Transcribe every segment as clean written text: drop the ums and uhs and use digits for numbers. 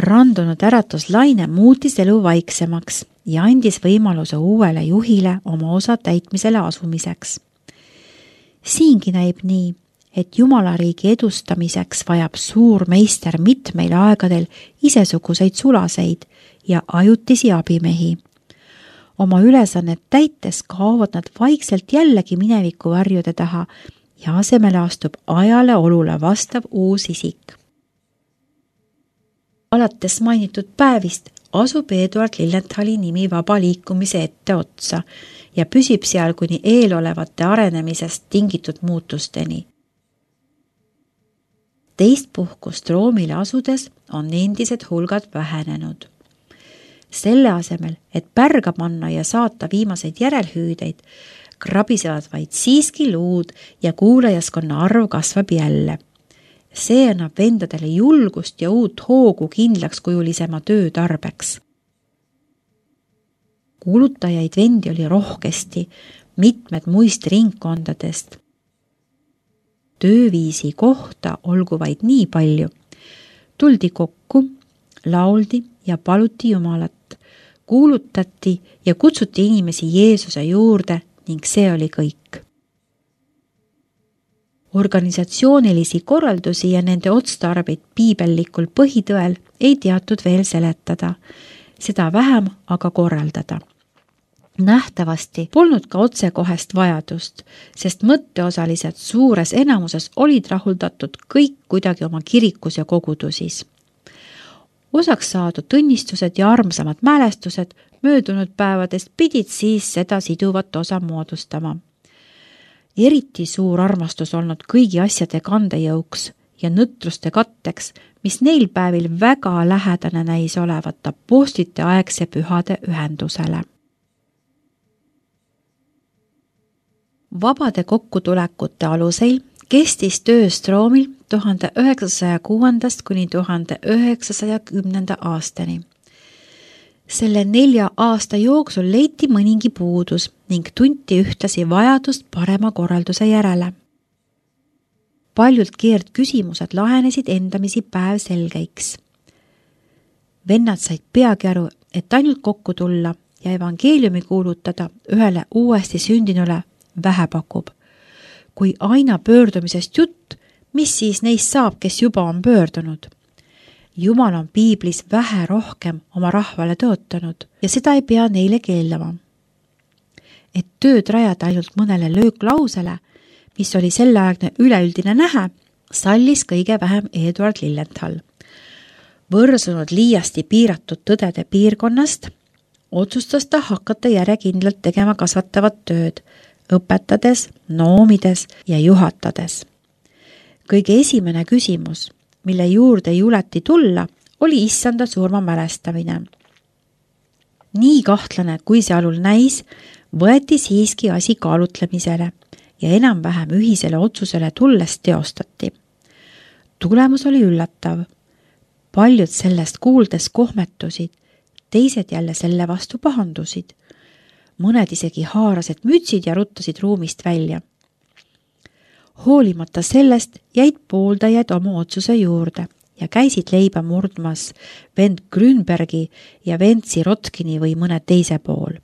Randunud äratuslaine muutis elu vaiksemaks ja andis võimaluse uuele juhile oma osa täitmisele asumiseks. Siingi näib nii, et Jumalariigi edustamiseks vajab suur meister mitmeil aegadel isesuguseid sulaseid ja ajutisi abimehi. Oma ülesannet täites kaovad nad vaikselt jällegi mineviku varjude taha ja asemele astub ajale olule vastav uus isik. Alates mainitud päevist asub Eduard Liljenthali nimi vaba liikumise etteotsa ja püsib seal kuni eelolevate arenemisest tingitud muutusteni. Teist puhkust Roomile asudes on endised hulgad vähenenud. Selle asemel, et pärga panna ja saata viimaseid järelhüüdeid, krabisevad vaid siiski luud ja kuulajaskonna arv kasvab jälle. See annab vendadele julgust ja uut hoogu kindlakskujulisema töö tarbeks. Kuulutajaid vendi oli rohkesti, mitmed muist ringkondadest. Tööviisi kohta olgu vaid nii palju. Tuldi kokku, lauldi ja paluti Jumalat, kuulutati ja kutsuti inimesi Jeesuse juurde ning see oli kõik. Organisatsioonilisi korraldusi ja nende otstarbeid piibellikul põhitõel ei teatud veel seletada, seda vähem aga korraldada. Nähtavasti polnud ka otsekohest vajadust, sest mõtteosalised suures enamuses olid rahuldatud kõik kuidagi oma kirikus ja kogudusis. Osaks saadud õnnistused ja armsamad mälestused möödunud päevadest pidid siis seda siduvat osa moodustama. Eriti suur armastus olnud kõigi asjade kandejõuks ja nõtruste katteks, mis neil päevil väga lähedane näis olevat apostlite aegse pühade ühendusele. Vabade kokkutulekute aluseil kestis töö Stroomil 1906. kuni 1910. aastani. Selle 4 aasta jooksul leiti mõningi puudus ning tunti ühtlasi vajadust parema korralduse järele. Paljult keerdküsimused lahenesid endamisi päev selgeiks. Vennad said peagi aru, et ainult kokku tulla ja evangeeliumi kuulutada ühele uuesti sündinule vähe pakub. Kui aina pöördumisest jutt, mis siis neist saab, kes juba on pöördunud? Jumal on piiblis vähe rohkem oma rahvale tõotanud ja seda ei pea neile keellama. Et tööd rajada ainult mõnele lööklausele, mis oli selleaegne üleüldine nähe, sallis kõige vähem Eduard Liljenthal. Võrsunud liiasti piiratud tõdede piirkonnast, otsustas ta hakata järjekindlalt tegema kasvatavat tööd, õpetades, noomides ja juhatades. Kõige esimene küsimus, mille juurde juleti tulla, oli issanda surma mälestamine. Nii kahtlane, kui see alul näis, võeti siiski asi kaalutlemisele ja enam-vähem ühisele otsusele tulles teostati. Tulemus oli üllatav. Paljud sellest kuuldes kohmetusid, teised jälle selle vastu pahandusid. Mõned isegi haarasid mütsid ja ruttasid ruumist välja. Hoolimata sellest jäid pooldajad oma otsuse juurde ja käisid leiba murdmas vend Grünbergi ja vend Sirotkini või mõne teise pool.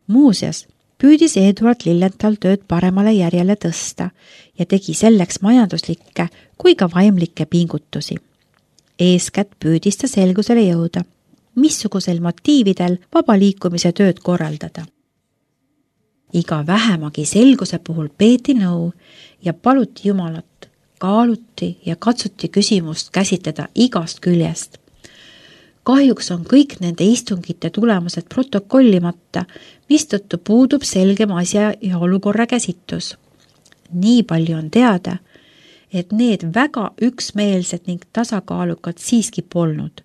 Muuseas, püüdis Eduard Liljenthal tööd paremale järjele tõsta ja tegi selleks majanduslikke kui ka vaimlikke pingutusi. Eeskätt püüdis ta selgusele jõuda, missugusel motiividel vaba liikumise tööd korraldada. Iga vähemagi selguse puhul peeti nõu ja paluti Jumalat, kaaluti ja katsuti küsimust käsitleda igast küljest. Kahjuks on kõik nende istungite tulemused protokollimata, mistõttu puudub selgem asja ja olukorra käsitlus. Nii palju on teada, et need väga üksmeelsed ning tasakaalukad siiski polnud.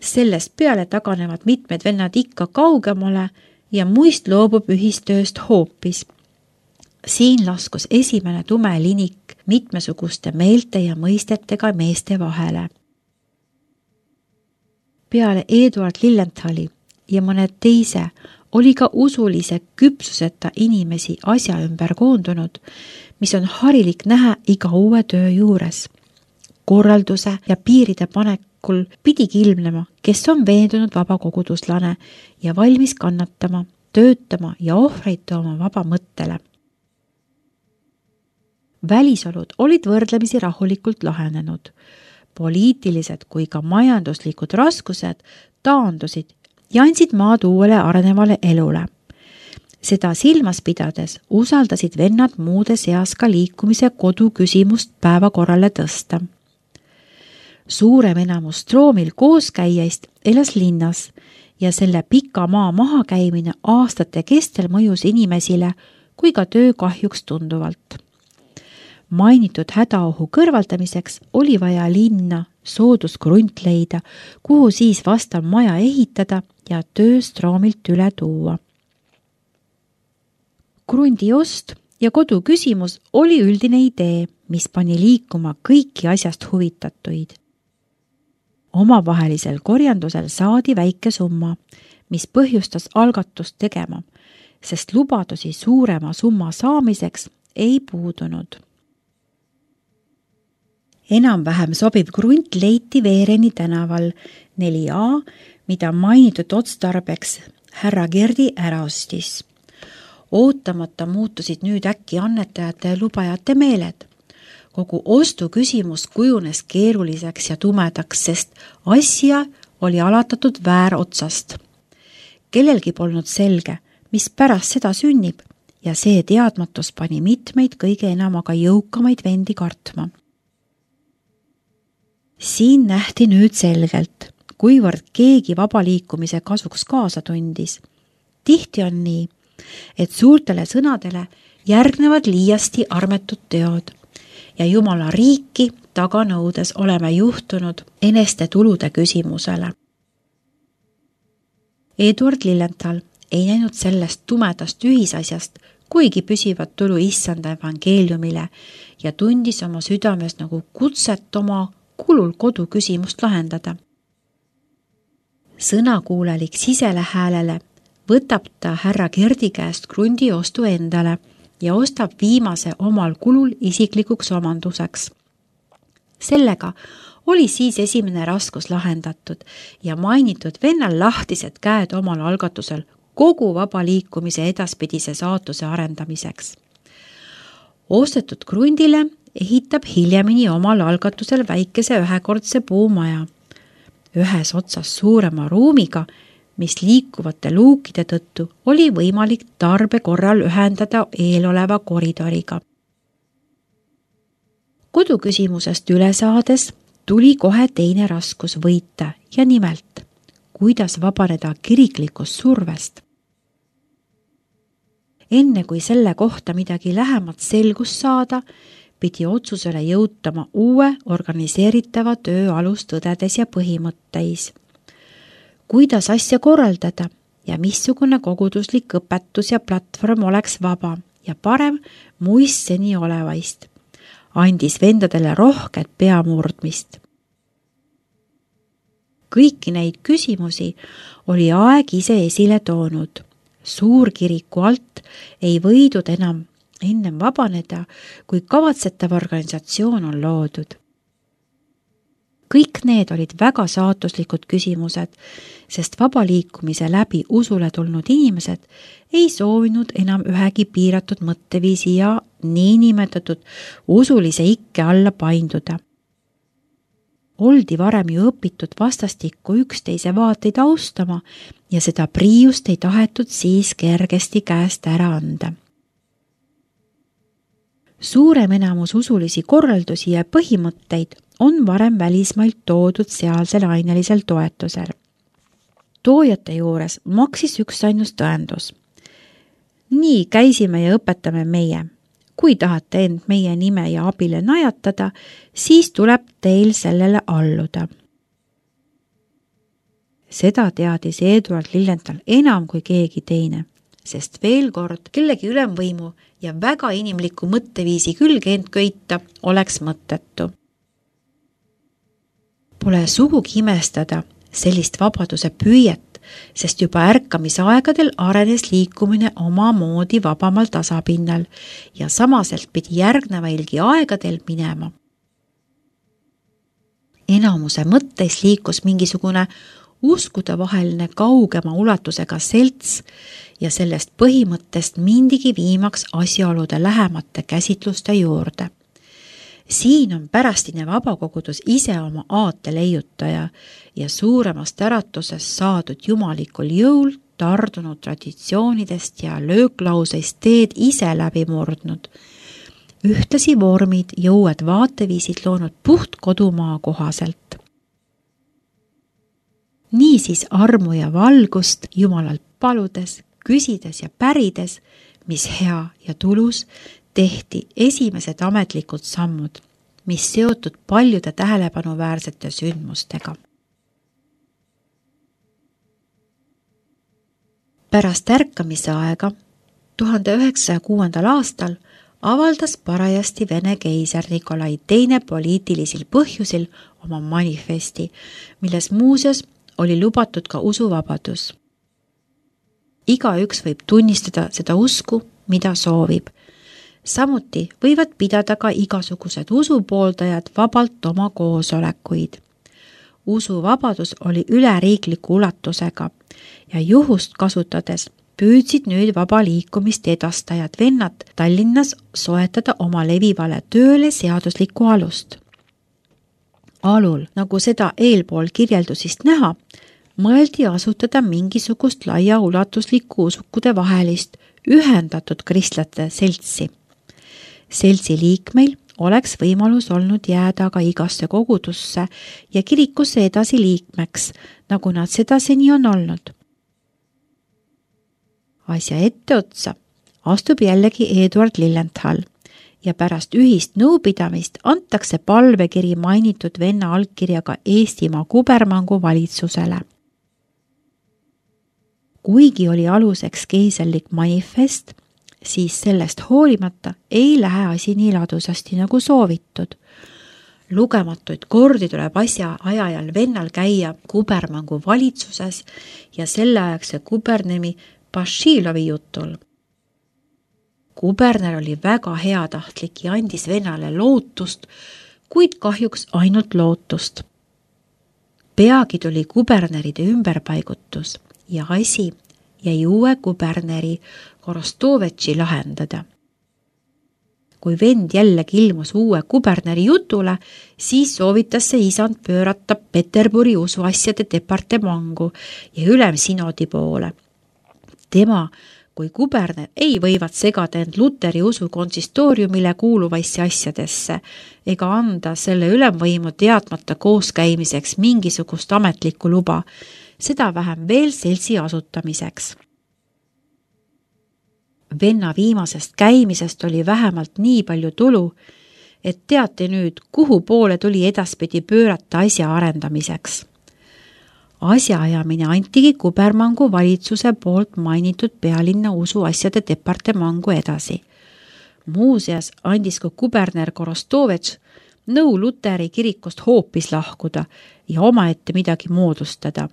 Sellest peale taganevad mitmed vennad ikka kaugemale ja muist loobub ühistööst hoopis. Siin laskus esimene tume linik mitmesuguste meelte ja mõistetega meeste vahele. Peale Eduard Liljenthali ja mõned teise oli ka usulise küpsuseta inimesi asja ümber koondunud, mis on harilik näha iga uue töö juures. korralduse ja piiride panekul pidigi ilmnema, kes on veendunud vaba koguduslane ja valmis kannatama, töötama ja ohvreid tooma vaba mõttele. Välisolud olid võrdlemisi rahulikult lahenenud. Poliitilised kui ka majanduslikud raskused taandusid ja andsid maad uuele arenevale elule. Seda silmas pidades usaldasid vennad muude seas ka liikumise kodu küsimust päevakorrale tõsta. Suurem enamus Stroomil kooskäijaist elas linnas ja selle pika maa mahakäimine aastate kestel mõjus inimesile kui ka töö kahjuks tunduvalt. Mainitud hädaohu kõrvaldamiseks oli vaja linna soodusgrunt leida, kuhu siis vastav maja ehitada ja töö Stroomilt üle tuua. Krundi ost ja kodu küsimus oli üldine idee, mis pani liikuma kõiki asjast huvitatuid. Omavahelisel korjandusel saadi väike summa, mis põhjustas algatust tegema, sest lubadusi suurema summa saamiseks ei puudunud. Enam-vähem sobiv grunt leiti Veereni tänaval 4A, mida mainitud otstarbeks härra Gerdi ära ostis. Ootamata muutusid nüüd äkki annetajate ja lubajate meeled. Kogu ostu küsimus kujunes keeruliseks ja tumedaks, sest asja oli alatatud väärotsast. Kellelgi polnud selge, mis pärast seda sünnib ja see teadmatus pani mitmeid kõige enam aga jõukamaid vendi kartma. Siin nähti nüüd selgelt, kuivõrd keegi vabaliikumise kasuks kaasa tundis. Tihti on nii, et suurtele sõnadele järgnevad liiasti armetud teod ja Jumala riiki taganõudes oleme juhtunud eneste tulude küsimusele. Eduard Lilienthal ei näinud sellest tumedast ühisasjast kuigi püsivat tulu issanda evangeeliumile ja tundis oma südames nagu kutset oma kulul kodu küsimust lahendada. Sõnakuulelik sisele häälele võtab ta härra Gerdi käest krundi ostu endale ja ostab viimase omal kulul isiklikuks omanduseks. Sellega oli siis esimene raskus lahendatud ja mainitud vennal lahtised käed omal algatusel kogu vaba liikumise edaspidise saatuse arendamiseks. Ostetud krundile ehitab hiljemini omal algatusel väikese ühekordse puumaja, ühes otsas suurema ruumiga, mis liikuvate luukide tõttu oli võimalik tarbe korral ühendada eeloleva koridoriga. Kodu küsimusest üle saades tuli kohe teine raskus võita ja nimelt, kuidas vabaneda kiriklikust survest. Enne kui selle kohta midagi lähemat selgust saada, pidi otsusele jõutama uue organiseeritava töö alustõdedes ja põhimõtteis. Kuidas asja korraldada ja missugune koguduslik õpetus ja platvorm oleks vaba ja parem muist seni olevaist, andis vendadele rohket peamurdmist. Kõiki neid küsimusi oli aeg ise esile toonud. Suurkiriku alt ei võidud ennem vabaneda, kui kavatsetav organisatsioon on loodud. Kõik need olid väga saatuslikud küsimused, sest vabaliikumise läbi usule tulnud inimesed ei soovinud enam ühegi piiratud mõtteviisi ja niinimetatud usulise ikke alla painduda. Oldi varem ju õpitud vastastikku üksteise vaateid austama ja seda priiust ei tahetud siis kergesti käest ära anda. Suurem enamus usulisi korraldusi ja põhimõtteid on varem välismailt toodud sealsel ainelisel toetusel. Toojate juures maksis üksainus tõendus. Nii käisime ja õpetame meie. Kui tahate end meie nime ja abile najatada, siis tuleb teil sellele alluda. Seda teadis Eduard Lilienthal enam kui keegi teine, sest veel kord kellegi ülemvõimu ja väga inimliku mõtteviisi külge end köita oleks mõttetu. Pole sugugi imestada sellist vabaduse püüet, sest juba ärkamisaegadel arenes liikumine omamoodi vabamal tasapinnal ja samaselt pidi järgnevailgi aegadel minema. enamuse mõtteis liikus mingisugune uskudevaheline kaugema ulatusega selts ja sellest põhimõttest mindigi viimaks asjaolude lähemate käsitluste juurde. Siin on pärastine vabakogudus ise oma aate leiutaja ja suuremast äratusest saadud jumalikul jõul tardunud traditsioonidest ja lööklauseist teed ise läbi murdnud. Ühtlasi vormid ja uued vaateviisid loonud puht kodumaa kohaselt. Niisiis armu ja valgust Jumalalt paludes, küsides ja pärides, mis hea ja tulus, tehti esimesed ametlikud sammud, mis seotud paljude tähelepanuväärsete sündmustega. Pärast ärkamise aega 1906. aastal avaldas parajasti Vene keiser Nikolai II poliitilisel põhjusil oma manifesti, milles muuseas oli lubatud ka usuvabadus. Igaüks võib tunnistada seda usku, mida soovib. Samuti võivad pidada ka igasugused usupooldajad vabalt oma koosolekuid. Usuvabadus oli üleriikliku ulatusega ja juhust kasutades püüdsid nüüd vaba liikumist edastajad vennad Tallinnas soetada oma levivale tööle seaduslikku alust. Alul, nagu seda eelpool kirjeldusist näha, mõeldi asutada mingisugust laiaulatuslikku usukude vahelist ühendatud kristlate seltsi. Seltsi liikmeil oleks võimalus olnud jääda aga igasse kogudusse ja kirikusse edasi liikmeks, nagu nad seda seni on olnud. Asja etteotsa astub jällegi Eduard Lilienthal ja pärast ühist nõupidamist antakse palvekiri mainitud venna allkirjaga Eestimaa kubermangu valitsusele. Kuigi oli aluseks keiserlik manifest, siis sellest hoolimata ei lähe asi nii ladusasti nagu soovitud. Lugematuid kordi tuleb asja ajajal vennal käia kubermangu valitsuses ja selleaegse kubernemi Bašilovi jutul. Kuberner oli väga heatahtlik ja andis vennale lootust, kuid kahjuks ainult lootust. Peagi tuli kuberneride ümberpaigutus ja asi jäi uue kuberneri Korostovetši lahendada. Kui vend jällegi ilmus uue kuberneri jutule, siis soovitas see isand pöörata Peterburi usuasjade departemangu ja ülemsinodi poole. Tema kui kuberner ei võivad segada end Luteri usu konsistooriumile kuuluvaisse asjadesse ega anda selle ülemvõimu teadmata kooskäimiseks mingisugust ametlikku luba, seda vähem veel seltsi asutamiseks. Venna viimasest käimisest oli vähemalt nii palju tulu, et teate nüüd, kuhu poole tuli edaspidi pöörata asja arendamiseks. Asjaajamine antigi kubermangu valitsuse poolt mainitud pealinna usuasjade departemangu edasi. Muuseas andis ka kuberner Korostovetš nõu Luteri kirikust hoopis lahkuda ja omaette midagi moodustada.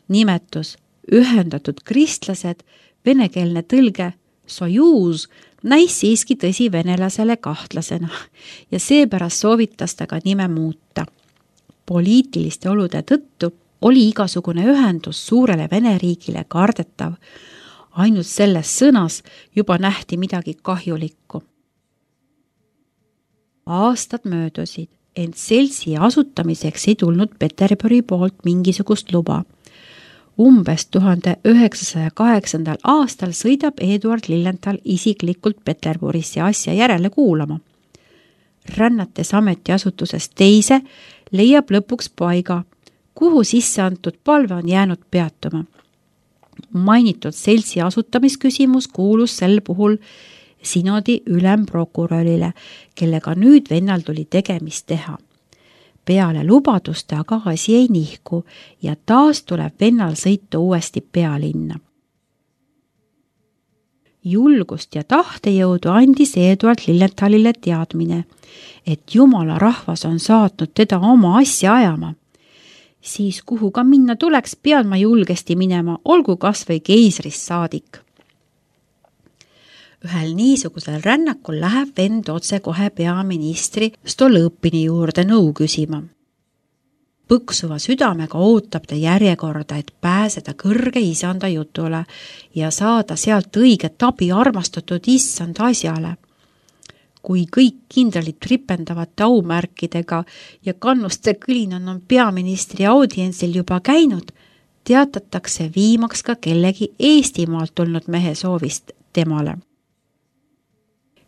Nimetus ühendatud kristlased, venekeelne tõlge Sojuz näis siiski tõsi venelasele kahtlasena ja seepärast soovitas ta ka nime muuta. Poliitiliste olude tõttu oli igasugune ühendus suurele Vene riigile kardetav. Ainult selles sõnas juba nähti midagi kahjulikku. Aastad möödusid, ent seltsi asutamiseks ei tulnud Peterburi poolt mingisugust luba. Umbes 1908. aastal sõidab Eduard Lilienthal isiklikult Peterburisse asja järele kuulama. Rännates ametiasutusest teise leiab lõpuks paiga, kuhu sisse antud palve on jäänud peatuma. Mainitud seltsi asutamisküsimus kuulus sel puhul sinodi ülemprokurörile, kellega nüüd vennal tuli tegemist teha. Peale lubaduste aga asi ei nihku ja taas tuleb vennal sõita uuesti pealinna. Julgust ja tahtejõudu andis Eduard Lilienthalile teadmine, et Jumala rahvas on saatnud teda oma asja ajama. Siis kuhu ka minna tuleks, pean ma julgesti minema, olgu kas või keisrist saadik. Ühel niisugusel rännakul läheb vend otse kohe peaministri Stolõpini juurde nõu küsima. Põksuva südamega ootab ta järjekorda, et pääseda kõrge isanda jutule ja saada sealt õiget abi armastatud issand asjale. Kui kõik kindralid tripendavate aumärkidega ja kannuste kõlinan on peaministri audientsil juba käinud, teatatakse viimaks ka kellegi Eestimaalt tulnud mehe soovist temale.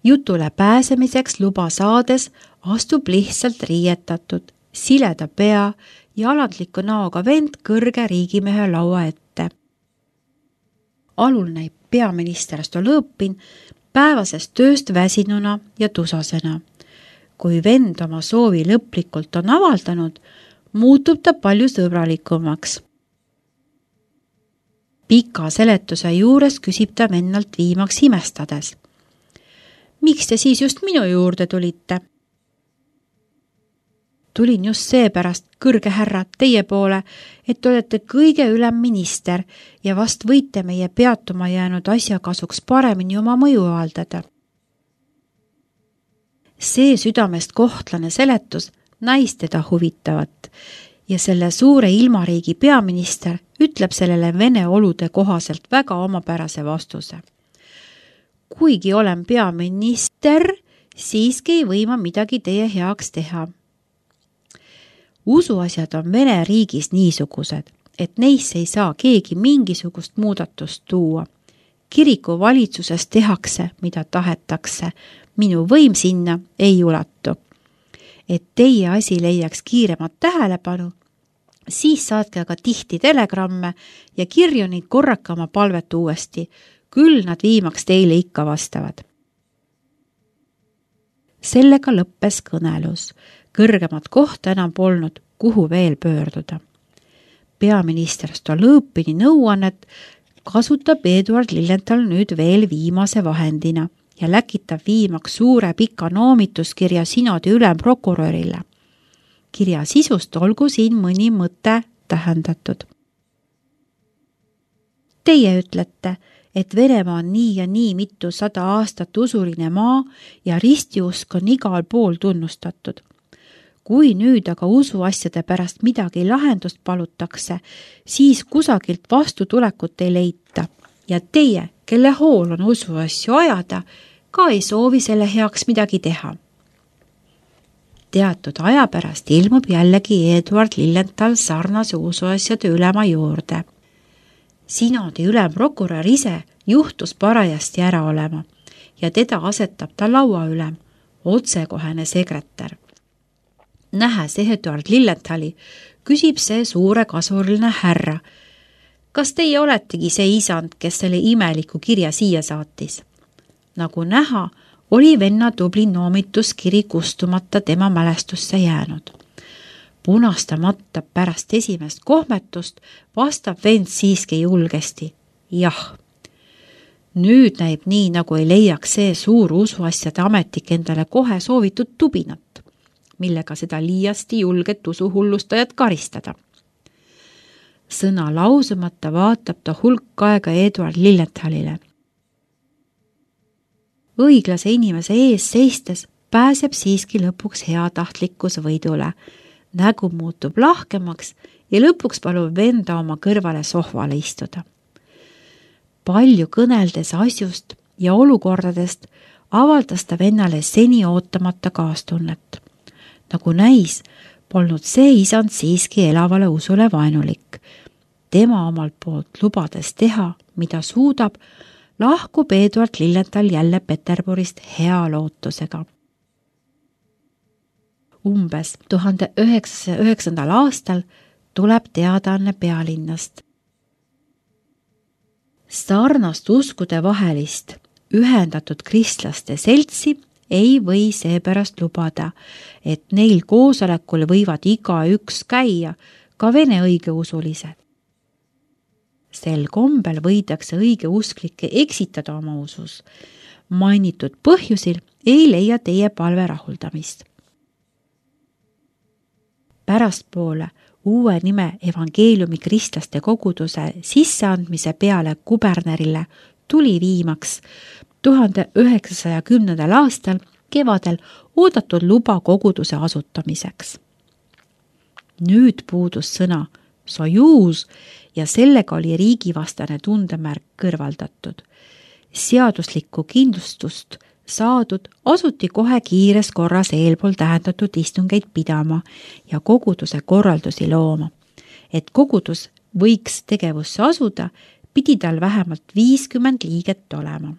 Jutule pääsemiseks luba saades astub lihtsalt riietatud, sileda pea ja alandliku näoga vend kõrge riigimehe laua ette. Alul näib peaminister Stolõpin päevasest tööst väsinuna ja tusasena. Kui vend oma soovi lõplikult on avaldanud, muutub ta palju sõbralikumaks. Pika seletuse juures küsib ta vennalt viimaks imestades. Miks te siis just minu juurde tulite? Tulin just seepärast, kõrge härra, teie poole, et olete kõige ülem minister ja vast võite meie peatuma jäänud asja kasuks paremini oma mõju avaldada. See südamest kohtlane seletus näis teda huvitavat ja selle suure ilmariigi peaminister ütleb sellele vene olude kohaselt väga omapärase vastuse. Kuigi olen peaminister, siiski ei või ma midagi teie heaks teha. Usuasjad on Vene riigis niisugused, et neisse ei saa keegi mingisugust muudatust tuua. Kiriku valitsuses tehakse, mida tahetakse. Minu võim sinna ei ulatu. Et teie asi leiaks kiiremat tähelepanu, siis saatke aga tihti telegramme ja kirju neid korraka oma palvet uuesti. Küll nad viimaks teile ikka vastavad. Sellega lõppes kõnelus. Kõrgemat kohta enam polnud, kuhu veel pöörduda. Peaminister Stolõpini nõuannet kasutab Eduard Lilienthal nüüd veel viimase vahendina ja läkitab viimaks suure pika noomituskirja sinodi ülemprokurörile. Kirja sisust olgu siin mõni mõte tähendatud. Teie ütlete, et Venemaa on nii ja nii mitu 100 aastat usuline maa ja ristiusk on igal pool tunnustatud. Kui nüüd aga usuasjade pärast midagi lahendust palutakse, siis kusagilt vastutulekut ei leita ja teie, kelle hool on usuasju ajada, ka ei soovi selle heaks midagi teha. Teatud aja pärast ilmub jällegi Eduard Lilienthal sarnase usuasjade ülema juurde. Sinodi ülemprokurör ise juhtus parajasti ära olema ja teda asetab ta laua ülem, otsekohene sekretär. Nähes Eduard Lilienthali, küsib see suure kasvuline härra. Kas teie oletegi see isand, kes selle imeliku kirja siia saatis? Nagu näha, oli venna tubli noomituskiri kustumata tema mälestusse jäänud. Punastamata pärast esimest kohmetust vastab vend siiski julgesti. Jah. Nüüd näib nii, nagu ei leiaks see suur usuasjade ametik endale kohe soovitud tubinat, millega seda liiasti julget usuhullustajat karistada. Sõna lausumata vaatab ta hulk aega Eduard Lilienthalile. Õiglase inimese ees seistes pääseb siiski lõpuks heatahtlikkus võidule. Nägu muutub lahkemaks ja lõpuks palub venda oma kõrvale sohvale istuda. Palju kõneldes asjust ja olukordadest avaldas ta vennale seni ootamata kaastunnet. Nagu näis, polnud see isand siiski elavale usule vaenulik. Tema omalt poolt lubades teha, mida suudab, lahkub Eduard Lilienthal jälle Peterburist hea lootusega. Umbes 1909. aastal tuleb teadaanne pealinnast. Sarnast uskude vahelist ühendatud kristlaste seltsi ei või seepärast lubada, et neil koosolekul võivad igaüks käia, ka vene õigeusulised. Sel kombel võidakse õigeusklikke eksitada oma usus. Mainitud põhjusil ei leia teie palve rahuldamist. Pärastpoole uue nime evangeeliumi kristlaste koguduse sisseandmise peale kubernerile tuli viimaks 1910. aastal kevadel oodatud luba koguduse asutamiseks. Nüüd puudus sõna sojuus ja sellega oli riigivastane tundemärk kõrvaldatud. Seaduslikku kindlustust saadud asuti kohe kiires korras eelpool tähendatud istungeid pidama ja koguduse korraldusi looma. Et kogudus võiks tegevusse asuda, pidi tal vähemalt 50 liiget olema.